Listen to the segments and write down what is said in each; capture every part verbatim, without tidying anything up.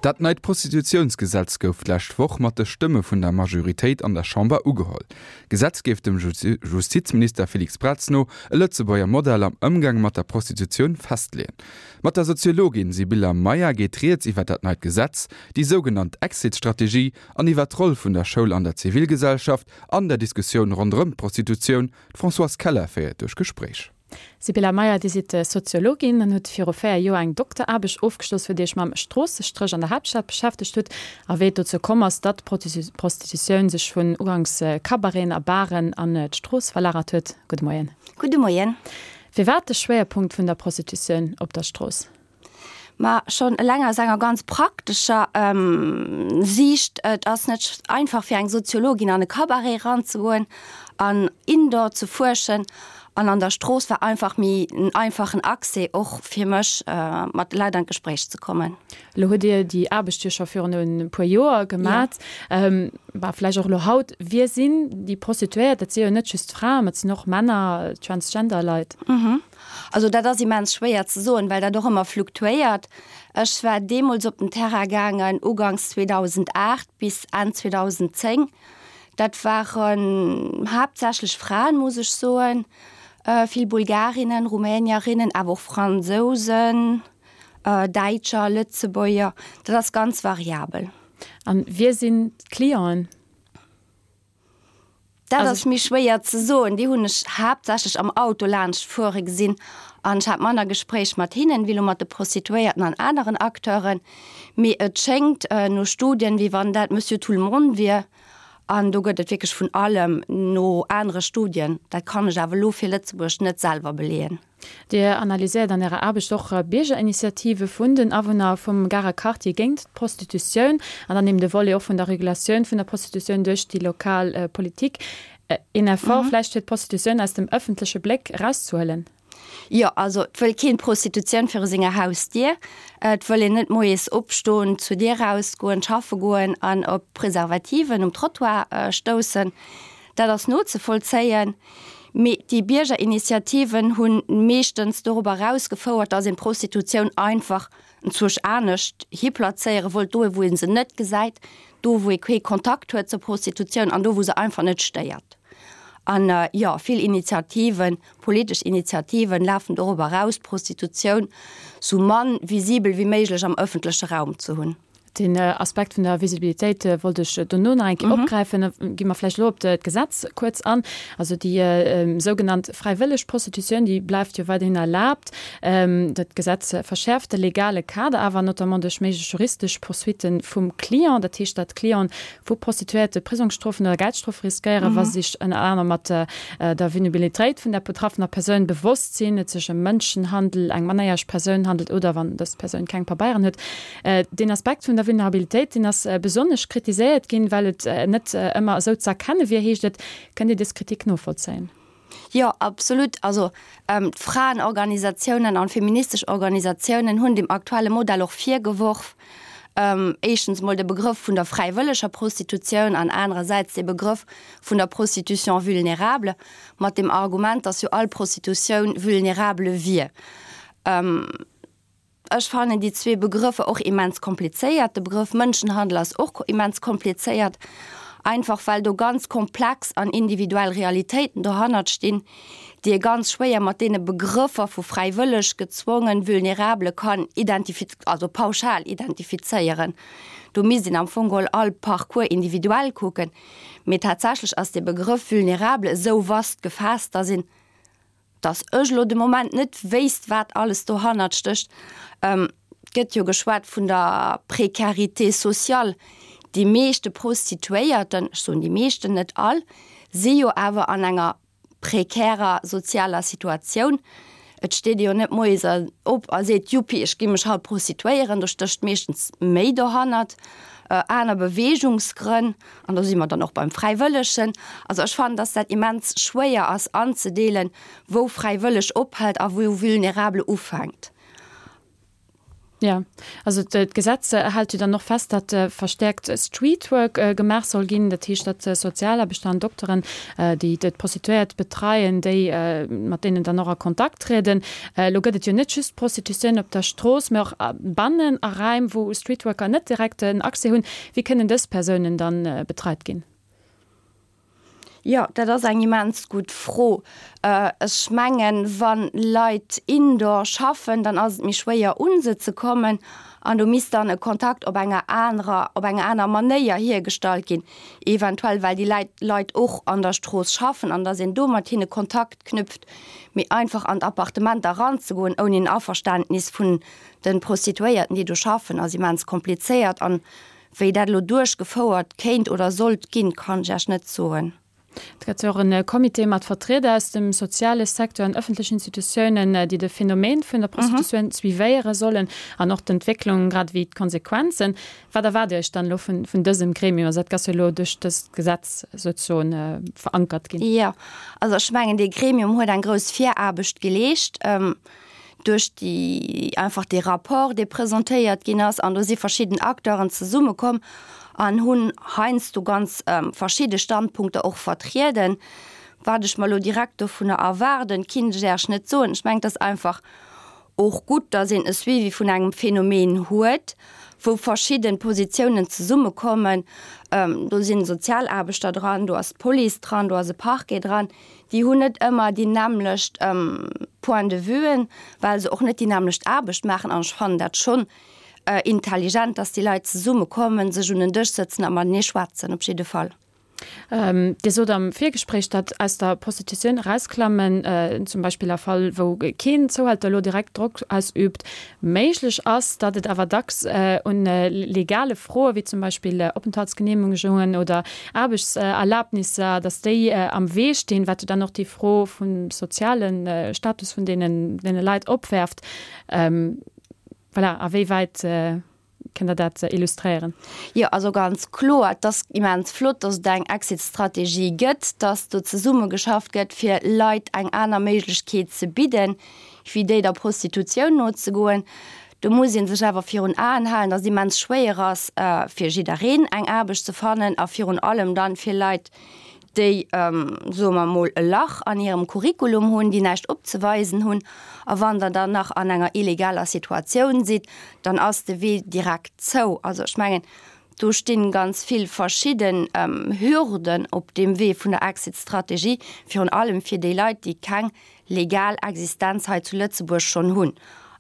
Dat neit Prostitutiounsgesetz gouf d'lescht Woch mat de Stëmme vun der Majoritéit an der Chamber ugeholl. D'Gesetz géif dem Justizminister Felix Braz no e Lëtzebuerger Modell am Ëmgang mat der Prostitutioun festleeën. Mat der Soziologin Sibylla Meyer geet rieds iwwer dat neit Gesetz, déi sougenannt Exit-Strategie an iwwer d'Roll vun der Schoul an der Zivilgesellschaft an der Diskussioun ronderëm d'Prostitutioun. D'Françoise Keller féiert duerch d'Gespréich. Sibylla Meyer, Dir sidd Soziologin an hutt viru véier Joer eng Dokteraarbecht ofgeschloss, wou Dir Iech mam Stroossestréch an der Haaptstad beschäftegt hutt a wéi et dozou komm ass, datt d'Prostitutioun sech vun uganks Cabareten a Baren an d'Strooss verlagert huet. Gudde Moien. Gudde Moien. Firwat de Schwéierpunkt vun der Prostitutioun op der Strooss? Ma schonn eleng aus enger ganz praktescher Siicht, et ass net einfach fir eng Soziologin an e Cabaret eranzegoen an indoor ze fuerschen. An an der Strooss war einfach méi en einfachen Accès och fir mech mat de Leit an d'Gespréich ze kommen. Elo hutt Dir déi Aarbecht jo scho virun e puer Joer gemat, bah vläicht och elo haut. Wie sinn déi Prostituéiert? Dat si jo net just Fraen, mä et sinn och Männer, Transgender Leit. Also dat ass immens schwéier ze soen, well dat och ëmmer fluktuéiert. Ech war deemools op den Terrain gaangen uganks zweedausendacht bis Enn zweedausendzéng. Dat waren haaptsächlech Fraen, muss ech soen, vill Bulgarinnen, Rumänierinnen, awer och Fransousen, Däitscher, Lëtzebuerger. Dat ass ganz variabel. An wie sinn d'Clienten? Dat ass méi schwéier ze soen. Déi hunn ech haaptsächlech am Auto laanscht fuere gesinn an ech hat manner Gespréich mat hinnen, wéi elo mat de Prostituéierten an aneren Acteuren. Mee et schéngt no Studien, wéi wann dat Monsieur tout le monde wier. An do gëtt et wierklech vun allem no anere Studien. Dat kann ech awer elo fir Lëtzebuerg net selwer beleeën. Dir analyséiert an Ärer Aarbecht och Biergerinitiative vun den Awunner vum Garer Quartier géint d'Prostitutioun an dann eben de Volet och vun der Regulatioun vun der Prostitutioun duerch déi lokal Politik. Een Effort vläicht fir d'Prostitutioun aus dem ëffentleche Bléck erauszehuelen? Jo, also et wëll keen d'Prostitutioun viru senger Hausdier. Et wëll een net moies opstoen, zur Dier rausgoen, schaffe goen an op Preservativen um Trottoir stoussen. Dat ass nozevollzéien. Mee déi Biergerinitiativen hu meeschtens dorobber erausgefouert, datt een d'Prostitutioun einfach enzwousch anescht hiplazéiere wollt, do wou ee se net gesäit, do wou ee kee Kontakt huet zur Prostitutioun an do wou se einfach net stéiert. An jo, vill Initiativen, politesch Initiativen lafen dorobber eraus, d'Prostitutioun sou mann visibel wéi méiglech am ëffentleche Raum ze hunn. Den Aspekt vun der Visibilitéit wollt ech dono nach eng Kéier opgräifen. Gi mer vläicht elo op d'Gesetz kuerz an. Also déi sougenannt fräiwëlleg Prostitutioun, déi bleift jo weiderhin erlaabt. Dat Gesetz verschäerft de legale Kader awer, notamment duerch méiglech juristesch Poursuitte vum Client. Dat heescht, datt Clienten vu Prostituéierte Prisongsstrofen oder Geldstrofe riskéieren, wa si sech ënner anerem mat der Vulnerabilitéit vun der betraffener Persoun bewosst sinn, et sech ëm Mënschenhandel, eng mannerjäreg Persoun handelt oder wann dës Persoun keng Pabeieren huet. Deen Aspekt vun der Vulnerabilitéit, deen ass besonnesch kritiséiert ginn, well et net ëmmer esou ze erkenne wier, heescht et. Kënnt Dir dës Kritik novollzéien? Jo, absolut. Also d'Fraenorganisatiounen an feministesch Organisatiounen hunn dem aktuelle Modell och virgeworf, éischtens emol de Begrëff vun der fräiwëlleger Prostitutioun an anerersäits de Begrëff vun der Prostitution vulnérable, mat dem Argument, dass jo all Prostitutioun vulnérable wier. Ech fannen déi zwee Begrëffer och immens komplizéiert. De Begrëff Mënschenhandel ass och immens komplizéiert, einfach well do ganz komplex an individuell Realitéiten dohannert stinn, déi ee ganz schwéier mat deene Begrëffer vu fräiwëlleg, gezwongen, vulnerable kann identifiz-, also pauschal identifizéieren. Do misst een am Fong geholl all Parcours individuell kucken. Mee tatsächlech ass dee Begrëff vulnerable esou vast gefaasst, dass een, dass ech elo de Moment net wéisst, wat alles dohannert stécht. Et gëtt jo geschwat vun der Précarité sociale. Déi meeschte Prostituéierten, ech soen déi meeschten, net all, si jo awer an enger prekärer sozialer Situatioun. Et steet ee jo net moies op a seet, Juppi, ech gi mech haut prostituéieren. Do stécht meeschtens méi dohannert, aner Beweegungsgrënn. An do si mer dann och beim Fräiwëllegen. Also ech fannen, dass dat immens schwéier ass anzedeelen, wou fräiwëlleg ophält a wou vulnerable ufänkt. Jo, also d'Gesetz hält jo dann och fest, datt verstäerkt Streetwork gemaach soll ginn. Dat heescht, datt Sozialaarbechter an Dokteren, déi d'Prostituéiert betreien, déi mat deenen dann och a Kontakt trieden. Elo gëtt et jo net just d'Prostitutioun op der Strooss, mä och bannen a Raim, wou Streetworker net direkt en Accès hunn. Wéi kënnen dës Persounen dann betreit ginn? Jo, dat ass eng immens gutt Fro. Ech mengen, wa Leit indoor schaffen, dann ass et méi schwéier un se ze kommen an do misst dann e Kontakt op enger anerer, op eng aner Manéier hiergestallt ginn, eventuell well déi Läit, Leit och an der Strooss schaffen an datt een do mat hinne Kontakt knüpft. Mee einfach an d'Appartementer eranzegoen ouni en Averständnis vun de Prostituéierten, déi do schaffen, ass immens komplizéiert an wéi dat elo duerchgefouert kéint oder sollt ginn, kann ech Iech net soen. Et gëtt jo och e Comité mat Vertrieder aus dem soziale Secteur an ëffentlechen Institutiounen, déi de Phänomen vun der Prostitutioun suivéiere sollen an och d'Entwécklung grad ewéi d'Konsequenzen. Wat erwaart Dir Iech dann elo vun dësem Gremium? Also dat ass jo elo duerch dëst Gesetz souzesoen verankert ginn. Jo, also ech mengen, dee Gremium huet eng grouss Viraarbecht geleescht. Duerch déi einfach dee Rapport, dee presentéiert ginn ass, an do si verschidden Acteuren zesummekomm an hunn heiansdo ganz verschidde Standpunkter och vertrieden. Wat ech mer elo direkt dovunner erwaarden, kinnt ech Äech net soen. Ech mengen, et ass einfach och gutt, datt een e Suivi vun engem Phänomen huet, wou verschidde Positiounen zesummekommen. Do si Sozialaarbechter dran, do ass d'Police dran, do ass e Parquet dran. Déi hunn net ëmmer déi nämmlecht Point de vuen, well se och net déi nämmlecht Aarbecht maachen. An ech fannen dat schonn intelligent, dass déi Leit zesummekommen, sech un en Dësch sëtzen a matenee schwätzen, op jidde Fall. Dir sot am Virgespréich, datt aus der Prostitutioun erausklammen, zum Beispill a Fall, wou keen Zouhälter elo direkt Drock ausüübt, méiglech ass, datt et awer dacks un legale Froe wéi zum Beispill Openthaltsgeneemegungen oder Aarbechtserlabnisser, datt déi am Wee stinn, wat jo dann och déi Fro vum soziale Status vun deene Leit opwerft. Voilà, a wéi wäit kënnt Der dat illustréieren? Jo, also ganz kloer, et ass immens flott, dass et eng Exit-Strategie gëtt, dass do zesummegeschafft gëtt, fir Leit eng aner Méiglechkeet ze bidden, wéi déi der Prostitutioun nozegoen. Do muss ee sech awer virun Aen halen, dass et immens schwéier ass, fir jiddereen eng Aarbecht ze fannen a virun allem dann fir Leit, déi, soe mer emol, e Lach an hirem Curriculum hunn, déi näischt opzeweisen hunn. A wann Der dann nach an enger illegaler Situatioun sidd, dann ass de Wee direkt zou. Also ech mengen, do sti ganz vill verschidden Hürden op deem Wee vun der Exit-Strategie, virun allem fir déi Leit, déi keng legal Existenz hei zu Lëtzebuerg schonn hunn.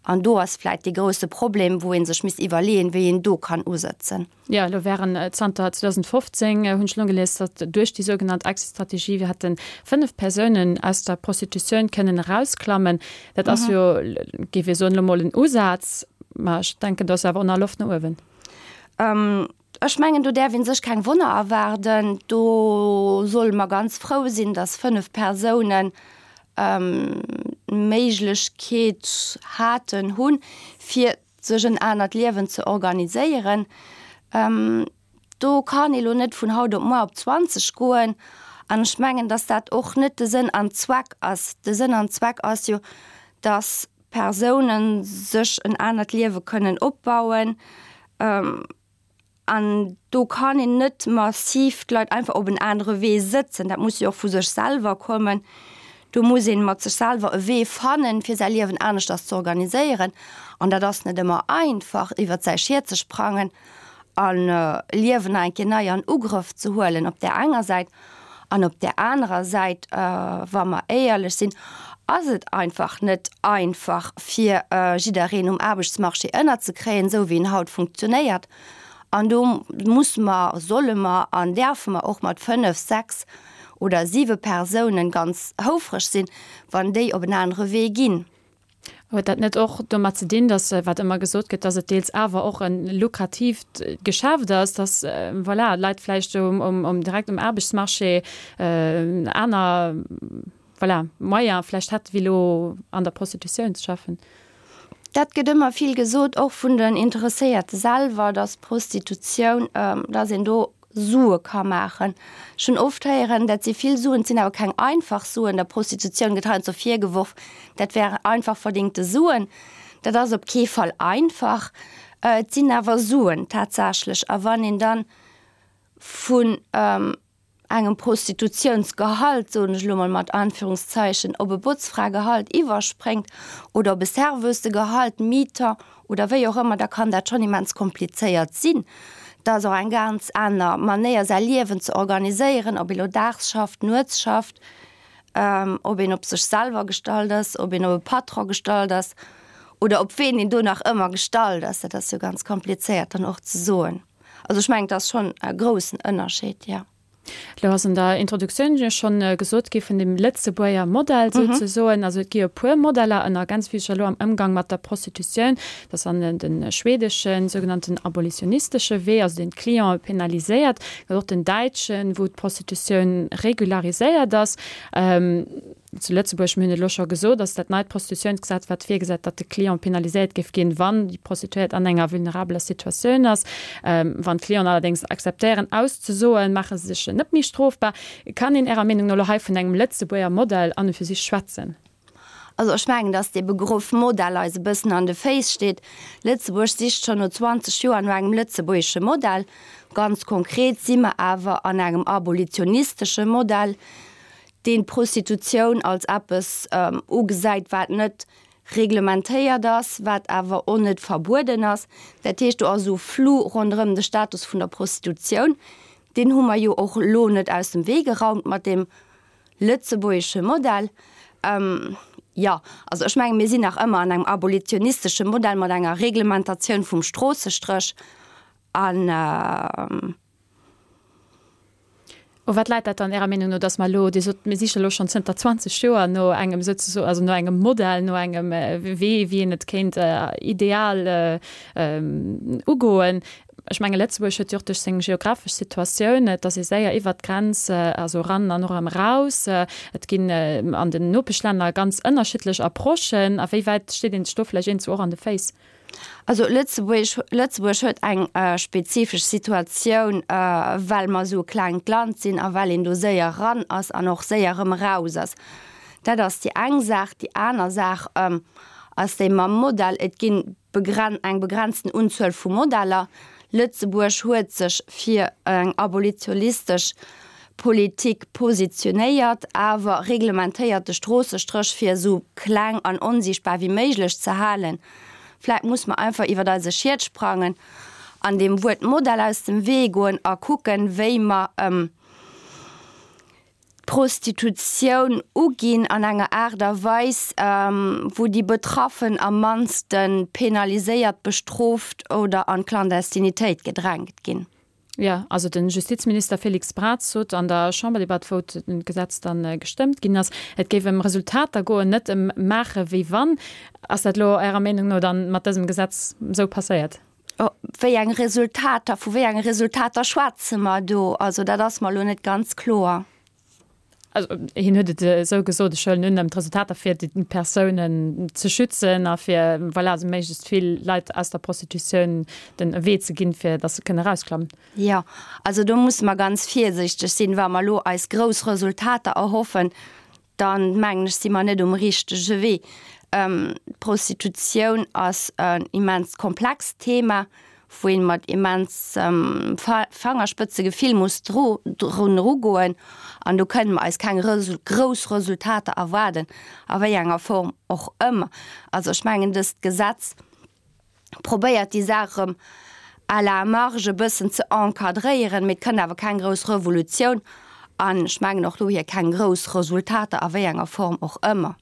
An do ass vläit dee grousse Problem, wou ee sech misst iwwerleeën, wéi een do kann usëtzen. Jo, elo wären zanter zweedausendfofzéng, hunn ech elo gelies, datt duerch déi sougenannt Exit-Strategie wir hätte fënnef Persounen aus der Prostitutioun kënnen erausklammen. Dat ass jo, géif ee soen, elo mol en Usaz, mä ech denken, do ass awer och nach Loft no uewen. Ech mengen, do däerf ee sech keng Wonner erwaarden. Do solle mer ganz frou sinn, datt fënnef Persounen d'Méiglechkeet haten, hunn, fir sech en anert Liewen ze organiséieren. Do kann ee lo net vun haut op muer op zwanzeg goen. An ech mengen, datt dat och net de Sënn an Zweck ass. De Sënn an Zweck ass jo, datt Persounen sech en anert Liewe kënnen opbauen. An do kann een net massiv d'Leit einfach op en anere Wee sëtzen. Dat muss jo och vu sech selwer kommen. Do muss ee mat sech selwer e Wee fannen, fir säi Liewen aneschters ze organiséieren. An dat ass net ëmmer einfach, iwwert säi Schiet ze sprangen an Liewen nach eng Kéier nei an Ugrëff ze huelen op där enger Säit. An op där anerer Säit, wa mer éierlech sinn, ass et einfach net einfach, fir jiddereen um Aarbechtsmarché ënnerzekréien, esou wéi en haut funktionéiert. An do musse mer, solle mer an däerfe mer och mat fënnef, sechs oder siwe Persounen ganz houfreg sinn, wann déi op en anere Wee ginn. Huet dat net och domat ze dinn, dass, wat ëmmer gesot gëtt, dass et deels awer och e lukratiivt Geschäft ass, dass, voilà, Leit vläicht um, direkt um Aarbechtsmarché aner, voilà, Moyene vläicht hätte wéi elo an der Prostitutioun ze schaffen? Dat gëtt ëmmer vill gesot, och vun den Interesséierte selwer, dass Prostitutioun, dass een do Sue ka maachen. Ech hunn oft héieren, dat si vill Suen, et sinn awer keng einfach Suen. Der Prostitutioun gëtt heiansdo virgeworf, dat wären einfach verdingte Suen. Dat ass op kee Fall einfach. Et sinn awer Suen tatsächlech. A wann een dann vun engem Prostitutiounsgehalt, soen ech elo mol mat Anführungszeichen, op e Botzfragehalt iwwerspréngt oder op e Serveussegehalt, Mi-temps oder wéi och ëmmer, da kann dat schonn immens komplizéiert sinn. Dat ass och eng ganz aner Manéier säi Liewen ze organiséieren, ob ee lo daags schafft, nuets schafft, ob een op sech selwer gestallt ass, ob een op e Patron gestallt ass oder op ween een do nach ëmmer gestallt ass. Dat ass jo ganz komplizéiert dann och ze soen. Also ech mengen, et ass schonn e groussen Ënnerscheed, jo. Elo ass an der Introduktioun jo schonn gesot gi vun dem Lëtzebuerger Modell souzesoen. Also et gi jo e puer Modeller ënner ganz vill scho elo am Ëmgang mat der Prostitutioun. Dat ass dann de schwedeschen, sougenannten abolitionistesche Wee, also deen d'Clientë penaliséiert. Et gëtt och den däitschen, wou d'Prostitutioun regulariséiert ass. Zu Lëtzebuerg, mir hunn et elo scho gesot, ass dat neit Prostitutiounsgesetz, wat virgesäit, datt de Client penaliséiert géif ginn, wann déi Prostituéiert an enger vulnerabeler Situatioun ass. Wann d'Clienten allerdéngs akzeptéieren auszesoen, maache se sech net méi strofbar. Kann een Ärer Meenung no elo hei vun engem Lëtzebuerger Modell an und für sich schwätzen? Also ech mengen, datt dee Begrëff Modell eis e bëssen an de Féiss steet. Lëtzebuerg sicht schonn no zwanzeg Joer no engem lëtzebuergesche Modell. Ganz konkret si mer awer an engem abolitionistesche Modell, deen d'Prostitutioun als eppes ugesäit, wat net reglementéiert ass, wat awer och net verbueden ass. Dat heescht, do ass esou Flou ronderëm de Status vun der Prostitutioun. Deen hu mer jo och elo net aus dem Wee geraumt mat deem lëtzebuergesche Modell. Jo, also ech mengen, mir sinn nach ëmmer an engem abolitionistesche Modell mat enger Reglementatioun vum Stroossestréch an. U wat läit dat dann Ärer Meenung no, dass mer elo, Dir sot, mir siche elo schonn zënter zwanzeg Joer no engem souzesoen, also no engem Modell, no engem Wee, wéi een et kéint ideal ugoen. Ech menge Lëtzebuerg huet jo och duerch seng geographesch Situatioun, et ass ee séier iwwert d'Grenz, also eran an och erëm eraus. Et ginn an den Nopeschlänner ganz ënnerschiddlech Approchen. A wéi wäit steet een sech do vläicht iergendwou och an de Féiss? Also Lëtzebuerg, Lëtzebuerg huet eng spezifesch Situatioun, well mer esou e klengt Land sinn a well een do séier eran ass an och séier erëm eraus ass. Dat ass déi eng Saach. Déi aner Saach ass déi mam Modell. Et gi eng begrenzten Unzuel vu Modeller. Lëtzebuerg huet sech fir eng abolitionistesch Politik positionéiert, awer reglementéiert de Stroossestréch fir esou kleng an onsiichtbar wéi méiglech ze halen. Vläit muss mer einfach iwwer eise Schiet sprangen an deem Wuert Modell aus dem Wee goen a kucken, wéi mer d'Prostitutioun uginn an enger Aart a Weis, wou déi Betraffen am mannste penaliséiert, bestrooft oder an d'Clandestinitéit gedrängt ginn. Jo, also de Justizminister Félix Braz sot an der Chamberdebatt, wou d'Gesetz dann gestëmmt ginn ass, et géif ëm Resultater goen, net ëm maache wéi wann. Ass dat elo Ärer Meenung no dann mat dësem Gesetz esou passéiert? Wéi eng Resultater, vu wéi enge Resultater schwätze mer do? Also dat ass mer elo net ganz kloer. Also hien huet et esou gesot, ech huelen un, ëm d'Resultater fir déi Persounen ze schützen a fir, voilà, esou méiglechst vill Leit aus der Prostitutioun den e Wee ze ginn, fir datt se kënne erausklammen. Jo, also do musse mer ganz virsiichteg sinn. Wa mer elo eis grouss Resultater erhoffen, dann, mengen ech, si mer net um richtege Wee. D'Prostitutioun ass en immens komplext Thema, wou een mat immensem Fangerspëtzegefill muss drun erugoen, an do kënne mer eis keng grouss Resultater erwaarden, a wéi enger Form och ëmmer. Also ech mengen, dëst Gesetz probéiert déi Saach erëm à la marge e bëssen ze encadréieren, mee et kënnt awer keng grouss Revolutioun an ech mengen och dohier keng grouss Resultater, a wéi enger Form och ëmmer.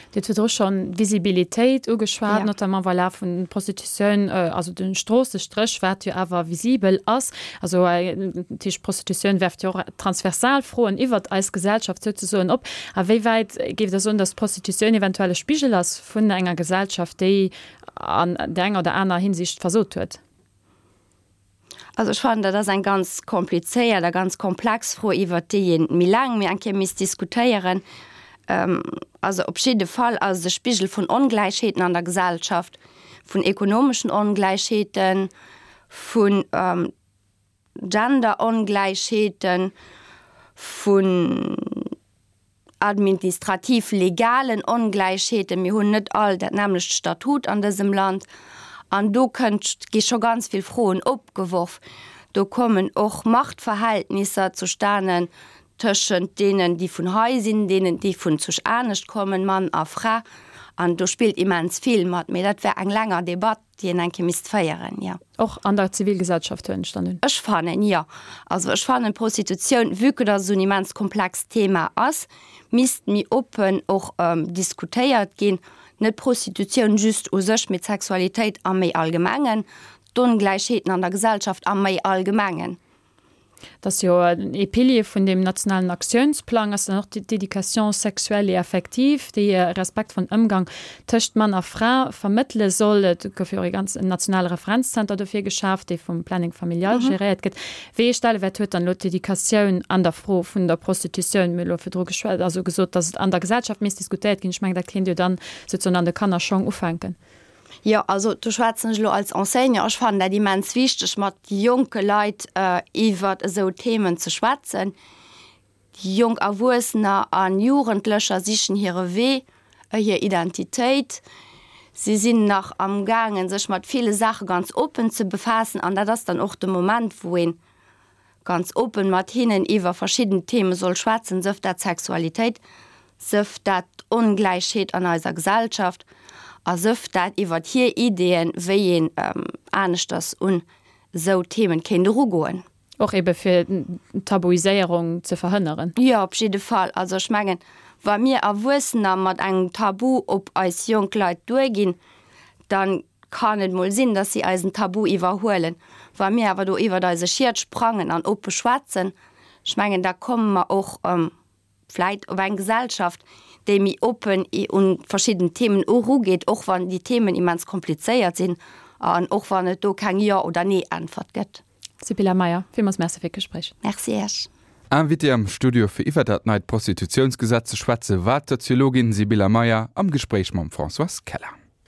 Dir hutt virdru schonn d'Visibilitéit ugeschwat, notamment voilà vun Prostitutioun, also de Stroossestréch, wat jo awer visibel ass. Also dat heescht, d'Prostitutioun werft jo och transversal Froen iwwert eis Gesellschaft souzesoen op. A wéi wäit géift Der soen, datt d'Prostitutioun eventuell e Spigel ass vun enger Gesellschaft, déi an där enger oder aner Hinsicht versot huet? Also ech fannen, dat ass eng ganz komplizéiert a ganz komplex Fro, iwwert déi ee méi laang méi eng Kéier misst diskutéieren. Also op jidde Fall ass et e Spigel vun Ongläichheeten an der Gesellschaft, vun ekonomeschen Ongläichheeten, vun Genderongläichheeten, vun administrativ legalen Ongläichheeten. Mir hunn net all dat nämmlecht Statut an dësem Land. An do kënnt, gi scho ganz vill Froen opgeworf. Do kommen och Machtverhältnisser zustanen tëschent deenen, déi vun hei sinn, deenen, déi vun zu anescht kommen, Mann a Fra. An do spillt immens vill mat. Mee dat wär eng länger Debatt, déi een eng Kéier misst féieren, jo. Och an der Zivilgesellschaft, huelen ech dann un. Ech fannen, jo. Also ech fannen, d'Prostitutioun, vue que dass et esou en immens komplext Thema ass, misst méi oppen och diskutéiert ginn. Net d'Prostitutioun just u sech, mee d'Sexualitéit am méi allgemengen, d'Ongläichheeten an der Gesellschaft am méi allgemengen. Dat ass jo ee Pilier vun deem nationalen Aktiounsplang, ass dann och d'Éducation sexuelle et affective, déi respektvollen Ëmgang tëscht Mann a Fra vermëttele soll. Et gouf jo och ee ganz nationale Referenzzenter dofir geschaaft, dee vum Planning familial geréiert gëtt. Wéi ee Stellewäert huet dann elo d'Educatioun an der Fro vun der Prostitutioun? Mir hu elo virdru geschwat, also gesot, datt et an der Gesellschaft misst diskutéiert ginn. Ech mengen, dat kéint jo dann souzesoen an de Kannerschong ufänken. Jo, also do schwätzen ech elo als Enseignant. Ech fannen dat immens wichteg, mat jonke Leit iwwert esou Themen ze schwätzen. Déi jonk Erwuessener a Jugendlecher sichen hire Wee, hir Identitéit. Si sinn nach amgaangen, sech mat ville Saache ganz oppen ze befaassen an dat ass dann och de Moment, wou ee ganz oppen mat hinnen iwwer verschidden Theme soll schwätzen, sëf dat d'Sexualitéit, sëf dat d'Ongläichheet an eiser Gesellschaft a sëf dat iwwert hir Ideeën, wéi een aneschters un esou Themen kéint erugoen. Och ebe fir d'Tabuiséierung ze verhënneren. Jo, op jidde Fall. Also ech mengen, wa mir Erwuessener mat engem Tabu op eis jonk Leit duerginn, da kann et mol sinn, dass si eisen Tabu iwwerhuelen. Wa mir awer do iwwert eise Schiet sprangen an oppe schwätzen, ech mengen, da komme mer och vläit op eng Gesellschaft, déi méi oppen un verschidden Themen erugeet, och wann déi Themen immens komplizéiert sinn an och wann et do keng Jo oder Nee-Äntwert gëtt. Sybilla Meyer, villmools Merci fir d'Gespréich. Merci Iech. Invitée am Studio fir iwwer dat neit Prostitutiounsgesetz ze schwätze war d'Soziologin Sybilla Meyer am Gespréich mam Françoise Keller.